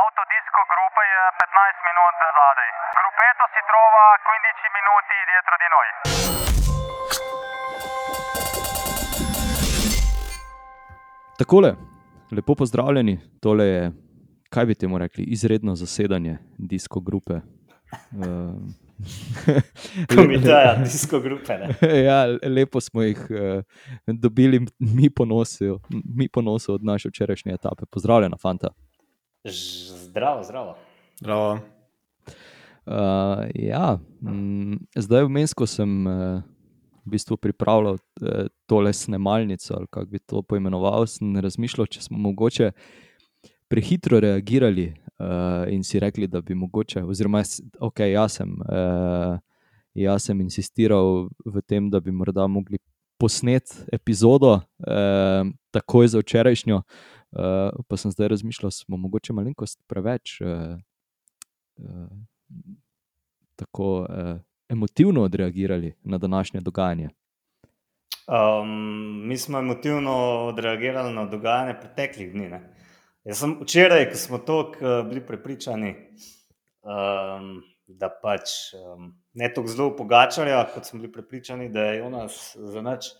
Autodisco gruppa je 15 minut zadaj. Gruppetto si trova 15 minuti dietro di noi. Takole, lepo pozdravljeni, tole je, kaj bi temu rekli, izredno zasedanje disko grupe. Komiteja disko grupe, ne? Ja, lepo smo jih dobili mi ponosu od naše včerajšnje etape. Pozdravljena, fanta. Zdravo, zdravo. Zdravo. Zdaj vmes, ko sem v bistvu pripravljal tole snemalnico, ali kako bi to poimenoval, sem razmišljal, če smo mogoče prehitro reagirali in si rekli, da bi mogoče, oziroma jaz sem insistiral v tem, da bi morda mogli posneti epizodo takoj za včerajšnjo, pa sem zdaj razmišljal, smo mogoče malenkost preveč tako emotivno odreagirali na današnje dogajanje. Mi smo emotivno odreagirali na dogajanje preteklih dni, ne? Jaz sem včeraj, ko smo toliko bili prepričani, da pač ne toliko zelo Pogačarja, kot smo bili prepričani, da je Jonas za nič.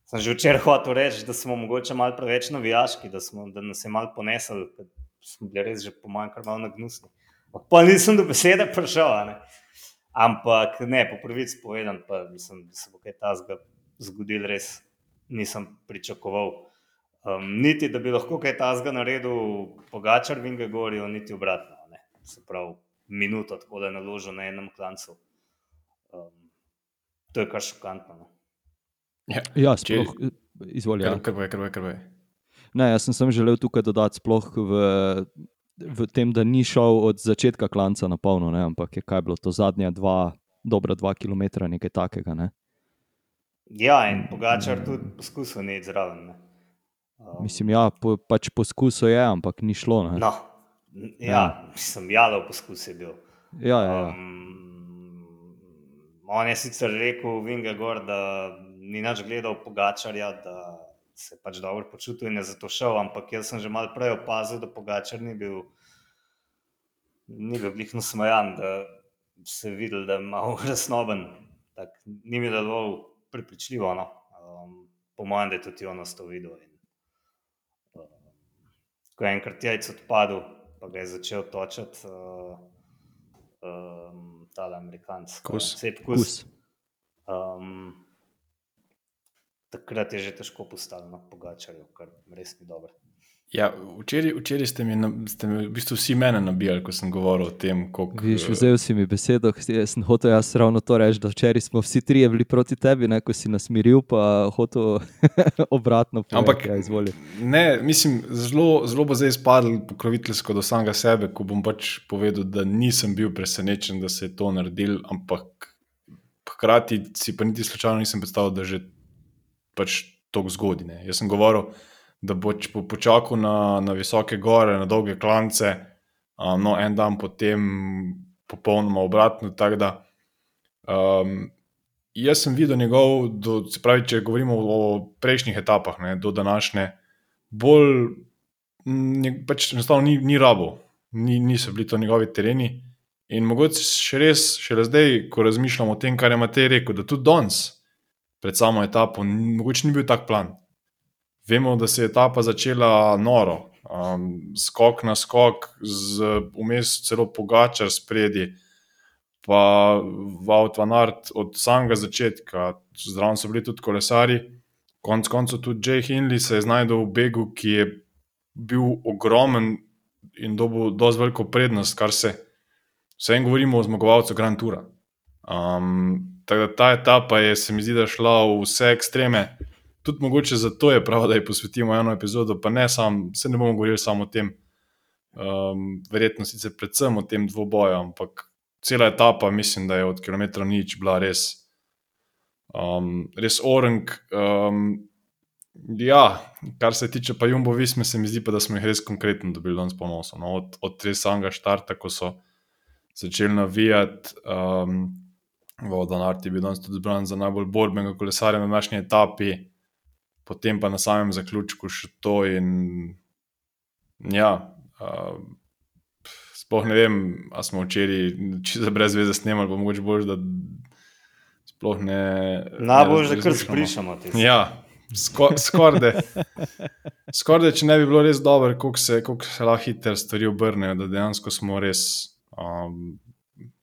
Sem že včeraj hotel reči, da smo mogoče malo preveč navijaški, da nas je malo ponesel, ker smo bili res že po mojem kar malo nagnusni. Pa nisem do besede prišel, ne? Ampak ne, po pravici povedan, pa mislim, da se bo kaj takega zgodilo, res nisem pričakoval. Niti, da bi lahko kaj takega naredil Pogačar v Ingegorju, niti obratno, ne? Se pravi, minuto tako da je naložil na enem klancu. To je kar šokantno, no? Ja, sploh, izvoli. Krbaj. Ne, jaz sem želel tukaj dodati sploh v tem, da ni šel od začetka klanca na polno, ne, ampak je kaj bilo to zadnja dobra 2 kilometra, nekaj takega, ne? Ja, in Pogačar tudi poskusil ni zraven, ne? Mislim, ja, pač poskusil je, ampak ni šlo, ne? No, ja, mislim, jalov poskus je bil. Ja. On je sicer rekel Vingegor, da ni nič gledal Pogačarja, da se pač dobro počutil in je zato šel, ampak jaz sem že malo prej opazil, da Pogačar ni bil glih nasmejan, da se je videl, da je malo resnoben. Tak, ni mi deloval prepričljivo, no. Po mojem, da je tudi Jonas to videl. Ko je enkrat jajc odpadel, pa ga je začel točati tale Amerikanc. Kus. Takrat je že težko postalo na Pogačarju, kar res ni dobro. Ja, včeraj ste mi v bistvu vsi mene nabijali, ko sem govoril o tem, koliko... Viš, vzel si mi besedo, sem hotel jaz ravno to reči, da včeraj smo vsi trije bili proti tebi, ne, ko si nas miril, pa hotel obratno povedati. Ampak, ja, izvoli. Ne, mislim, zelo bo zdaj izpadl pokroviteljsko do samega sebe, ko bom pač povedal, da nisem bil presenečen, da se je to naredil, ampak hkrati si pa niti slučajno nisem predstavil, da že pač toliko zgodi, ne. Jaz sem govoril, da bo počakal na visoke gore, na dolge klance, no, en dan potem popolnoma obratno, tako da jaz sem videl njegov, se pravi, če govorimo o prejšnjih etapah, ne, do današnje, bolj pač enostavno ni rabo, niso bili to njegovi tereni in mogoče šele zdaj, ko razmišljam o tem, kar je Matej rekel, da tudi danes pred samo etapo, mogoče ni bil tak plan. Vemo, da se je etapa začela noro, skok na skok, vmes celo Pogačar spredi, pa Wout van Aert od samega začetka, zraven so bili tudi kolesari, konec koncev tudi Jay Hindley se je znajdel v begu, ki je bil ogromen in dobil dosti veliko prednost, kar vsem govorimo o zmagovalcu Grand Toura. Tako da ta etapa se mi zdi, da šla v vse ekstreme. Tudi mogoče zato je prav, da ji posvetimo eno epizodo, pa ne ne bomo govorili samo o tem, verjetno sicer predvsem o tem dvoboju, ampak cela etapa, mislim, da je od kilometra nič bila res orenk. Ja, kar se tiče pa Jumbo Visme, se mi zdi pa, da smo jih res konkretno dobili danes po nosu, no, od res samega štarta, ko so začeli navijati, Wout van Aert je bil danes tudi zbran za najbolj borbenega kolesarja na današnji etapi, potem pa na samem zaključku še to in ja, sploh ne vem, a smo včeraj čisto brez veze snemali, pa mogoče bolj, da sploh ne... Najbolj, da kar razmišljamo. sprišamo. Ja, skoraj, če ne bi bilo res dobro, koliko se lahko hitro stvari obrnejo, da dejansko smo res,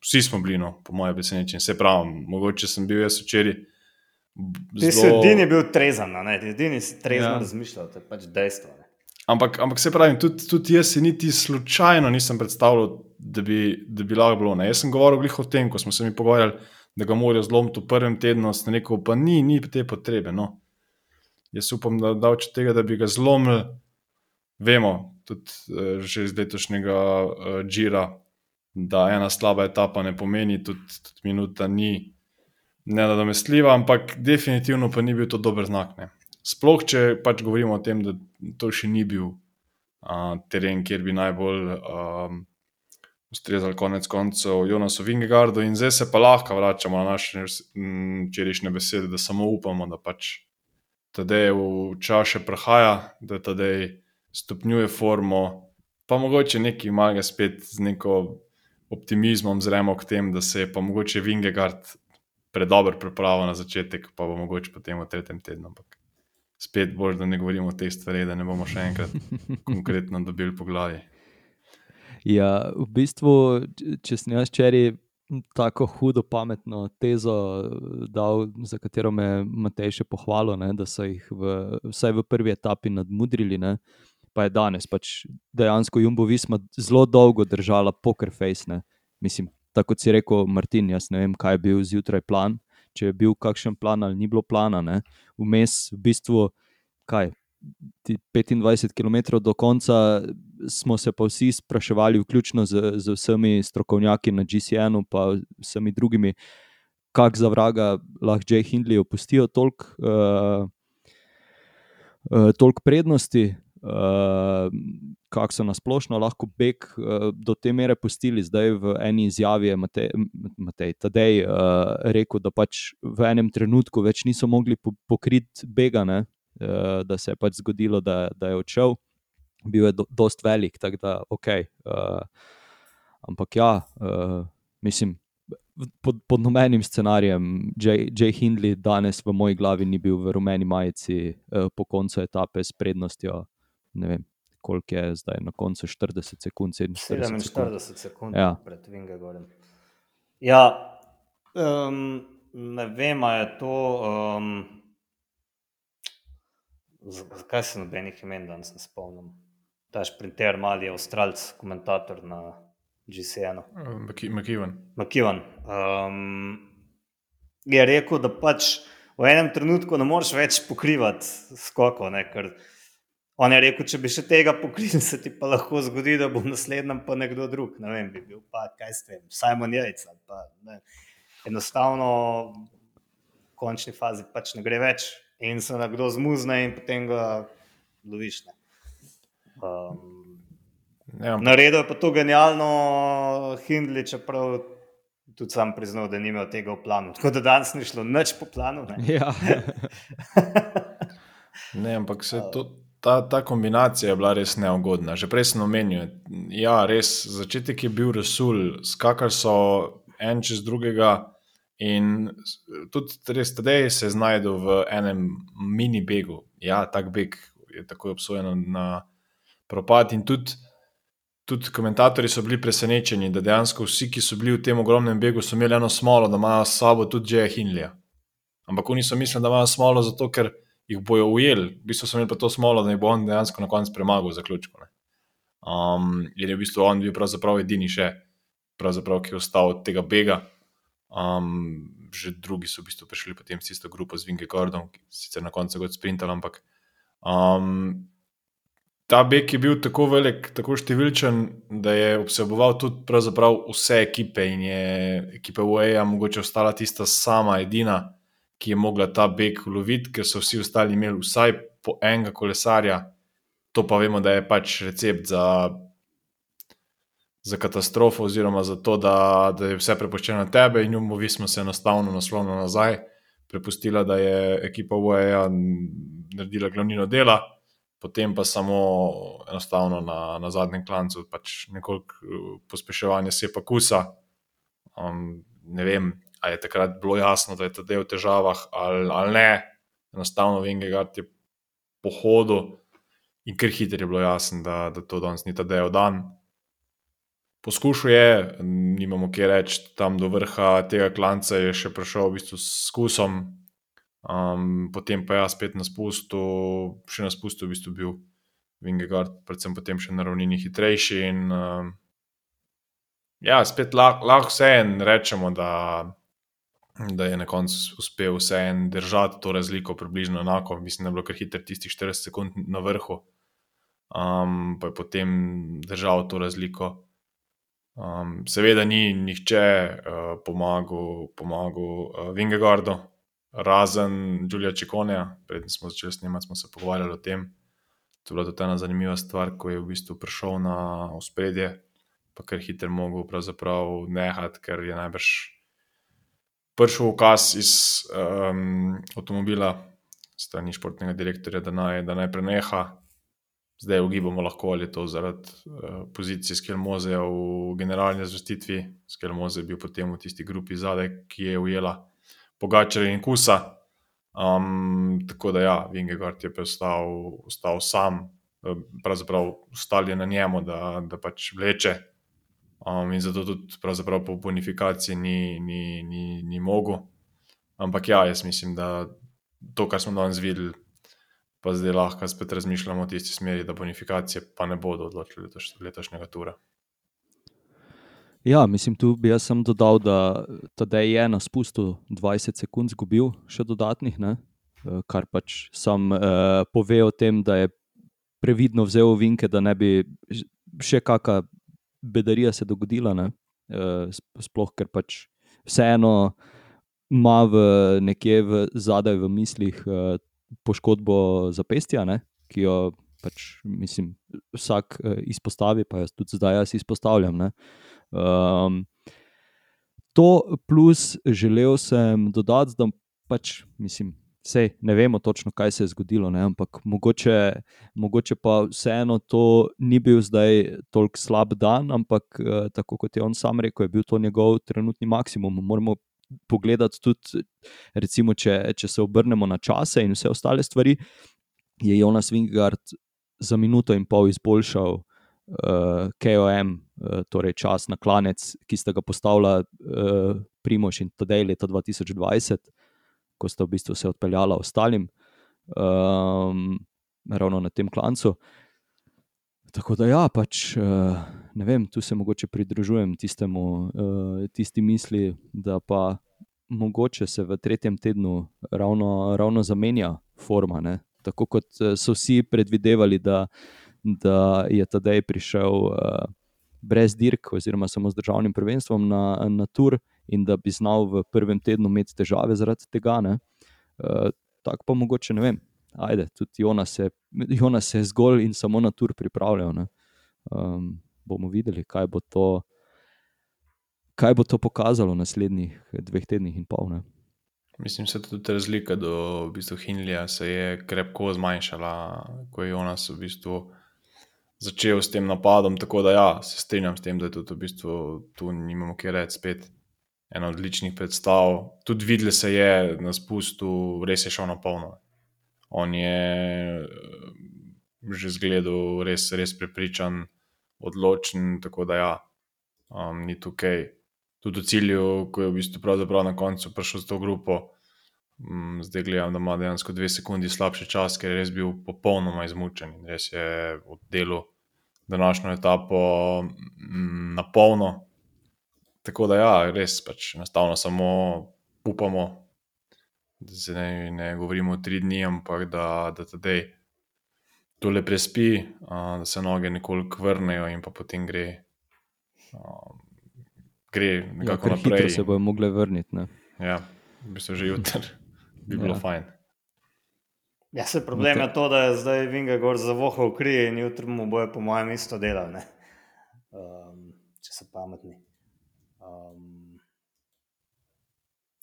vsi smo bili, no, po moje presenečenje. Se pravim, mogoče sem bil jaz včeraj Ti si edini bil trezan, ne? Edini si trezan razmišljal, to je pač dejstvo. Ne? Ampak se pravim, tudi jaz si niti slučajno nisem predstavljal, da bi lahko bilo. Ne? Jaz sem govoril glih o tem, ko smo se mi pogovarjali, da ga morajo zlomiti v prvem tednu, sem rekel, pa ni te potrebe. No. Jaz upam, da od tega, da bi ga zlomili, vemo, tudi že iz letošnjega Gira, da ena slaba etapa ne pomeni, tudi minuta ni nenadomestljiva, ampak definitivno pa ni bil to dober znak. Ne. Sploh, če pač govorimo o tem, da to še ni bil teren, kjer bi najbolj ustrezali konec koncev Jonasu Vingegaardu in zdaj se pa lahko vračamo na naše včerajšnje besede, da samo upamo, da pač Tadej v čas še prehaja, da Tadej stopnjuje formo, pa mogoče nekaj malega spet z neko optimizmom zremo k tem, da se je pa mogoče Vingegaard predober pripravo na začetek, pa bo mogoče potem v tretjem tednu. Ampak spet bolj, da ne govorimo o tej stvari, da ne bomo še enkrat konkretno dobili po glavi. Ja, v bistvu, če sem jaz včeraj tako hudo pametno tezo dal, za katero me Matej še pohvalil, ne, da so jih vsaj v prvi etapi nadmudrili, ne, pa je danes pač dejansko Jumbo Visma zelo dolgo držala poker face. Ne. Mislim, tako kot si rekel, Martin, jaz ne vem, kaj je bil zjutraj plan, če je bil kakšen plan ali ni bilo plana. Ne. Vmes v bistvu, 25 km do konca smo se pa vsi spraševali, vključno z vsemi strokovnjaki na GCN-u pa vsemi drugimi, kak za vraga lahko Jay Hindley opustijo toliko prednosti, kako so nasplošno lahko beg do te mere pustili. Zdaj v eni izjavi je Tadej rekel, da pač v enem trenutku več niso mogli pokriti bega, ne? Da se je pač zgodilo, da je odšel. Bil je dost velik, tako da ampak ja, mislim, pod nobenim scenarijem Jay Hindley danes v moji glavi ni bil v rumeni majici po koncu etape s prednostjo, ne vem, koliko je zdaj na koncu, 40 sekund, 47 sekund ja. Pred Vingegaardom. Ja, ne vem, a je to zakaj se nobenih imen danes ne spomnim. Ta šprinter mali je Avstralc, komentator na GCN-u. McEwan. Je rekel, da pač v enem trenutku ne moreš več pokrivati skokov, ne, ker on je rekel, če bi še tega pokril, se ti pa lahko zgodi, da bo v naslednjem pa nekdo drug, ne vem, bi bil pa, kaj s tem, Simon Yates, pa ne. Enostavno v končni fazi pač ne gre več in se nekdo zmuzne in potem ga loviš, ne. Naredil je pa to genialno Hindley, čeprav tudi sam priznal, da ni imel tega v planu. Tako da danes ni šlo nič po planu. Ne, Ja. Ne, ampak ta kombinacija je bila res neugodna. Že prej sem omenil, ja, res, začetek je bil Rasul, skakali so en čez drugega in tudi res Tadej se je znajdel v enem mini begu. Ja, tak beg je takoj obsojen na propad in tudi komentatorji so bili presenečeni, da dejansko vsi, ki so bili v tem ogromnem begu, so imeli eno smolo, da imajo s sabo tudi Jaya Hindleya. Ampak oni so mislili, da imajo smolo zato, ker jih bojo ujeli. V bistvu so imeli pa to smolo, da jih bo on dejansko na koncu premagal v zaključku. Ne. Jer je v bistvu on bil pravzaprav edini še, pravzaprav, ki je ostal od tega bega. Že drugi so v bistvu prišli potem s isto grupo z Vingegaardom, ki sicer na koncu god sprintali, ampak ta beg je bil tako velik, tako številčen, da je vseboval tudi pravzaprav vse ekipe in je ekipa UAE mogoče ostala tista sama edina, ki je mogla ta beg uloviti, ker so vsi ostali imeli vsaj po enega kolesarja. To pa vemo, da je pač recept za katastrofo oziroma za to, da je vse prepuščeno na tebe in Jumbo Visma se enostavno naslonila nazaj, prepustila, da je ekipa UAE naredila glavnino dela potem pa samo enostavno na zadnjem klancu pač nekoliko pospeševanje sepa kusa. Ne vem, ali je takrat bilo jasno, da je Tadej v težavah ali ne. Enostavno Vingegaard je po hodu in kar hitro je bilo jasno, da to danes ni Tadejev dan. Poskušal je, nimamo kje reči, tam do vrha tega klanca je še prišel v bistvu s kusom, potem pa spet na spustu, še na spustu v bistvu bil Vingegaard, predvsem potem še na ravnini hitrejši in spet lahko vseeno rečemo, da je na koncu uspel vseeno držati to razliko približno enako. Mislim, da je bilo kar hitro tistih 40 sekund na vrhu, pa je potem držal to razliko. Seveda ni nihče pomagal Vingegaardu, razen Giulia Cicconeja. Preden smo začeli snemati, smo se pogovarjali o tem. To je bila tudi ena zanimiva stvar, ko je v bistvu prišel na ospredje, pa kar hitro mogel pravzaprav nehati, ker je najbrž prišel ukaz iz avtomobila strani športnega direktorja, da naj preneha. Zdaj ugibamo lahko, ali je to zaradi pozicije Skelmozeja v generalni zvestitvi. Skelmoze je bil potem v tisti grupi zadaj, ki je ujela Pogačarja in Kusa. Tako da Vingegaard je ostal sam, pravzaprav ostal je na njemu, da pač vleče. In zato tudi pravzaprav po bonifikaciji ni mogel. Ampak jaz mislim, da to, kar smo danes videli, pa zdaj lahko spet razmišljamo v tisti smeri, da bonifikacije pa ne bodo odločili letošnjega tura. Mislim, tu bi jaz sam dodal, da Tadej je na spustu 20 sekund zgubil še dodatnih, ne? Kar pač sam pove o tem, da je previdno vzel ovinke, da ne bi še kakšna bedarija se dogodila, ne? Sploh, ker pač vseeno ima nekje zadaj v mislih poškodbo zapestja, ne? Ki jo pač, mislim, vsak izpostavi, pa tudi zdaj izpostavljam, ne? To plus želel sem dodati, da pač, mislim, sej ne vemo točno, kaj se je zgodilo, ne? Ampak mogoče pa vseeno to ni bil zdaj toliko slab dan, ampak tako kot je on sam rekel, je bil to njegov trenutni maksimum. Moramo pogledati tudi, recimo, če se obrnemo na čase in vse ostale stvari, je Jonas Vingegaard za minuto in pol izboljšal KOM, torej čas na klanec, ki sta ga postavila Primož in Tadej leta 2020, ko sta v bistvu se odpeljala ostalim ravno na tem klancu. Tako da pač ne vem, tu se mogoče pridružujem tisti misli, da pa mogoče se v tretjem tednu ravno zamenja forma, ne? Tako kot so vsi predvidevali, da je Tadej prišel brez dirk oziroma samo z državnim prvenstvom na tur in da bi znal v prvem tednu imeti težave zaradi tega, ne? Tako pa mogoče, ne vem, tudi Jonas se je zgolj in samo na tur pripravljal, ne? Bomo videli, kaj bo to pokazalo v naslednjih 2 tednih in pol, ne? Mislim, se tudi razlika do v bistvu Hindleyja se je krepko zmanjšala, ko je Jonas v bistvu začel s tem napadom, tako da se strinjam s tem, da je tudi v bistvu tu nimamo kje reči, spet ena odličnih predstav. Tudi videlo se je na spustu, res je šel na polno. On je že zgledal res prepričan, odločen, tako da ni tukaj. Tudi v cilju, ko je v bistvu pravzaprav na koncu prišel z to grupo, zdaj gledam, da ima dejansko 2 sekundi slabši čas, ker je res bil popolnoma izmučen in res je oddelal današnjo etapo na polno. Tako da res pač enostavno samo upamo, da se ne govorimo 3 dni, ampak da Tadej tole prespi, da se noge nekoliko vrnejo in pa potem gre nekako naprej. Hitro se bojo mogle vrniti, ne? V bistvu že jutri bi bilo fajn. Se problem je to, da je zdaj Vingegaard zavohal kri in jutri mu bojo po mojem isto delali, ne? Če so pametni.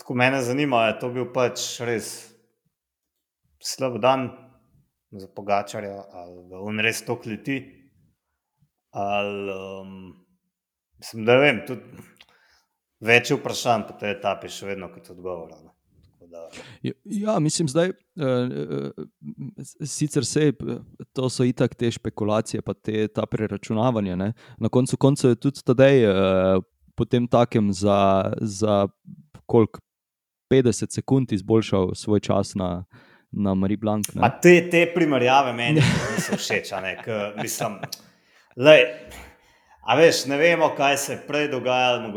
Tako mene zanima, je to bil pač res slab dan za Pogačarja, ali ga on res toliko leti, ali mislim, da vem, tudi več je vprašanj po tej etapi še vedno kot odgovora. Ja, mislim, zdaj, sicer to so itak te špekulacije, pa ta preračunavanja. Ne? Na koncu koncev je tudi Tadej potem takem za koliko 50 sekund izboljšal svoj čas na Marie Blanc. Ma te primerjave meni niso všeč, mislim, lej, a veš, ne vemo, kaj se je prej dogajalo.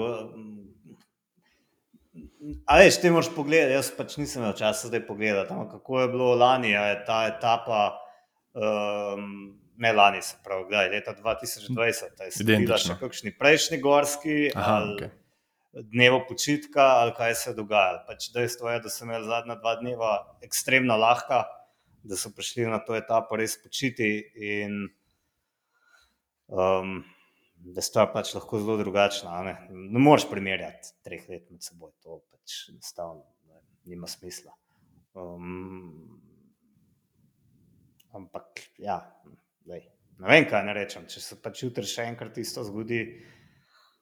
A veš, ti moraš pogledati, jaz pač nisem imel časa zdaj pogledati, kako je bilo lani, je ta etapa, ne lani se pravi, gledaj, leta 2020, je sledila še kakšni prejšnji gorski, ali dnevo počitka, ali kaj se je dogajalo. Pač dejstvo je, da so imeli zadnja 2 dneva ekstremno lahka, da so prišli na to etapo res počiti in da sta pač lahko zelo drugačna. Ne moreš primerjati 3 let med seboj, to pač enostavno nima smisla. Ampak, ja, ne vem, kaj ne rečem, če se pač jutri še enkrat isto zgodi,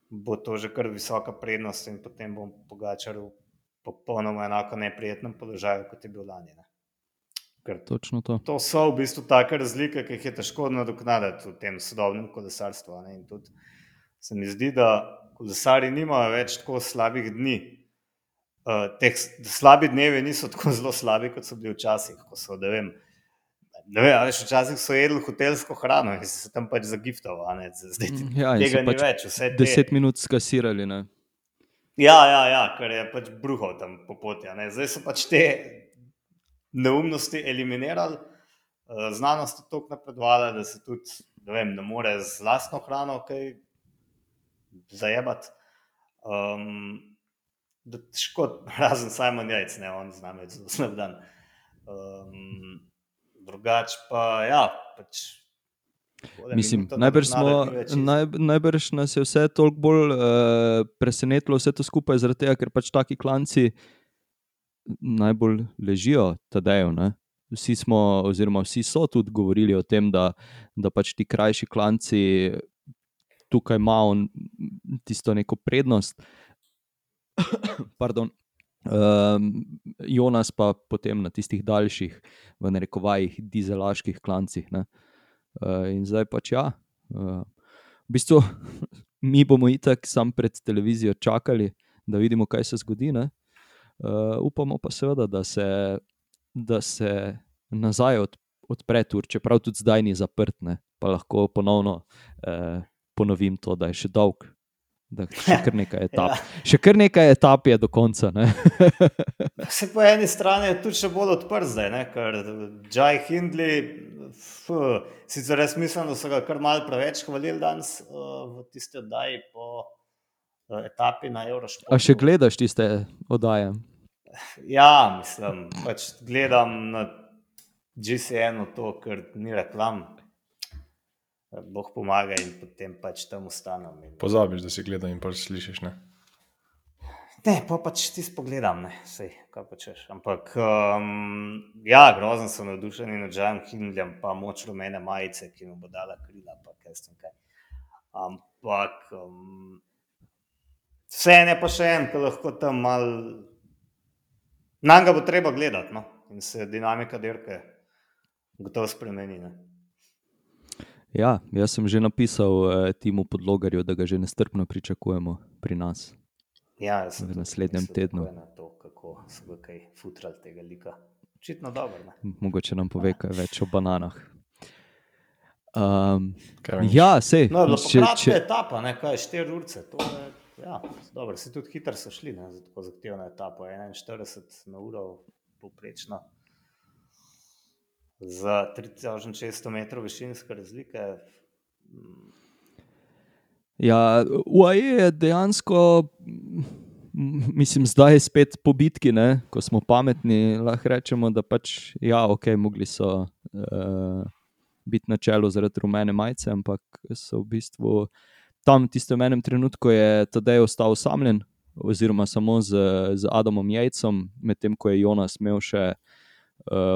bo to že kar visoka prednost in potem bom Pogačar v popolnoma enako neprijetnem položaju, kot je bil lani. Ker točno to. To so v bistvu take razlike, ki jih je težko nadoknaditi v tem sodobnem kolesarstvu. In tudi se mi zdi, da kolesarji nimajo več tako slabih dni. Slabi dnevi niso tako zelo slabi, kot so bili včasih, ko so, včasih so jedli hotelsko hrano in se tam pač zagiftal, zdaj tega ni več. 10 minut skasirali, ne? Ja, ker je pač bruhal tam po poti. Zdaj so pač te neumnosti eliminirali, znanost je toliko napredovala, da se tudi, ne more z lastno hrano kaj zajebati. Da težko, razen Simon Yates, on zna imeti zelo slab dan. Drugač pa, ja, pač... Mislim, najbrž nas je vse toliko bolj presenetilo vse to skupaj, zaradi tega, ker pač taki klanci najbolj ležijo Tadeju, ne? Vsi so tudi govorili o tem, da pač ti krajši klanci tukaj imajo tisto neko prednost. Pardon. Jonas pa potem na tistih daljših, v narekovajih, dizelaških klancih, ne? In zdaj pač ja, v bistvu mi bomo itak sam pred televizijo čakali, da vidimo, kaj se zgodi, ne? Upamo pa seveda, da se nazaj odpre tur, čeprav tudi zdaj ni zaprt, ne? Pa lahko ponovno ponovim to, da je še dolg, da še kar nekaj etap. Še kar nekaj etap je do konca, ne? Se po eni strani je tudi še bolj odprt zdaj, ne? Ker Jai Hindley, sicer res mislim, da so ga kar malo preveč hvalili danes v tiste oddaji po etapi na Eurošportu. A še gledaš tiste oddaje? Ja, mislim, pač gledam na GCN-u to, ker ni reklam. Bog pomaga in potem pač tam ostanem. Pozabiš, da si gledam in pač slišiš, ne? Ne, pa pač ti spogledam, ne, sej, kaj počeš. Ampak, ja, grozen sem navdušen nad Jaijem Hindleyjem, pa moč rumene majice, ki mu bo dala krila, pa kaj s tem kaj. Ampak, vseeno je pa še en, ki lahko tam malo... Nanj ga bo treba gledati, no, in se dinamika dirke gotovo spremeni, ne. Ja, jaz sem že napisal Timu Podlogarju, da ga že nestrpno pričakujemo pri nas. Ja, jaz sem v naslednjem tednu. Na to, kako so ga kaj futrali tega lika. Očitno dobro, ne. Mogoče nam pove kaj več o bananah. Kaj veš? Ja, sej. No, je bila pa kratka etapa, ne, kaj, 4 urce, to je, ja, dobro, si tudi hitro so šli, ne, za tako zahtevno etapo, 41 na uro povprečno. Za 3600 metrov višinske razlike. Ja, UAE je dejansko, mislim, zdaj spet po bitki, ne, ko smo pametni, lahko rečemo, da pač, ja, okej, mogli so biti na čelu zaradi rumene majice, ampak so v bistvu tam tistem enem trenutku je Tadej ostal osamljen, oziroma samo z Adamom Yatesom, medtem ko je Jonas imel še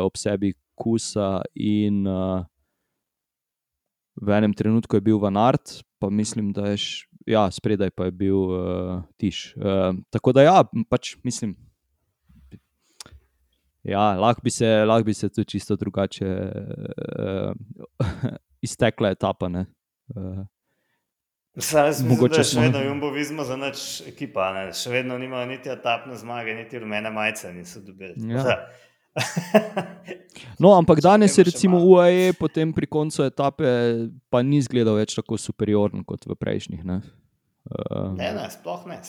ob sebi Kusa in v enem trenutku je bil Van Aert, pa mislim, da je spredaj pa je bil Tiš. Tako da pač mislim, lahko bi se tudi čisto drugače iztekla etapa, ne. Mogoče še vedno Jumbo Visma za nič ekipa, ne? Še vedno nimajo niti etapne zmage, niti rumene majice niso dobili. No, ampak danes je recimo UAE potem pri koncu etape pa ni izgledal več tako superioren kot v prejšnjih, ne. Ne, sploh ne.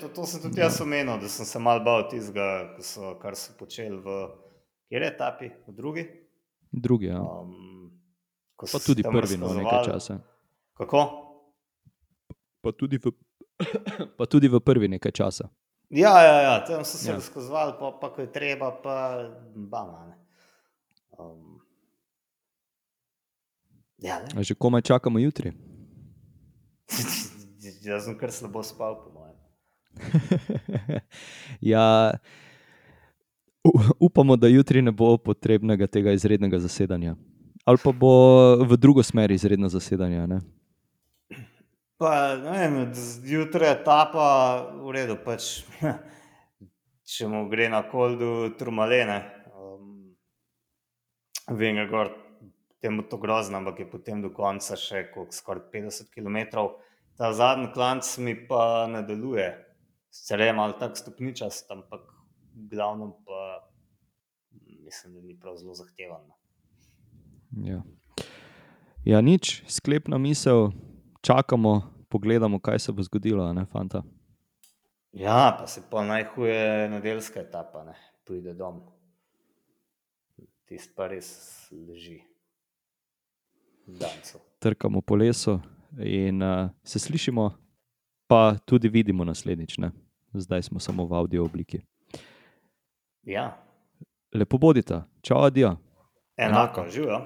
To sem tudi jaz omenil, da sem se malo bal tistega, kar so počeli v kjer etapi? V drugi? Drugi, ja. Pa tudi prvi nekaj časa. Kako? Pa tudi v prvi nekaj časa. Ja, tam so se razkazovali, pa ko je treba, pa bama, ne. A že komaj čakamo jutri? Jaz sem kar slabo spal, po mojem. Upamo, da jutri ne bo potrebnega tega izrednega zasedanja. Ali pa bo v drugo smer izredno zasedanje, ne? Pa, ne vem, jutra etapa, v redu, pač, če mu gre na Koldu Tourmalet, ne. Vem ga gor, temu to grozno, ampak je potem do konca še skoraj 50 kilometrov. Ta zadnji klanc mi pa ne deluje. Sicer je malo tak stopničast, ampak v glavnem pa mislim, da ni prav zelo zahtevan. Ja, nič, sklepna misel, čakamo, pogledamo, kaj se bo zgodilo, ne, fanta? Ja, pa se pa najhuje nedeljska etapa, ne, pride dom. Tist pa res leži. Dancu. Trkamo po lesu in se slišimo, pa tudi vidimo naslednjič, ne. Zdaj smo samo v audio obliki. Ja. Lepo bodita. Čau, adijo. Enako, živjo.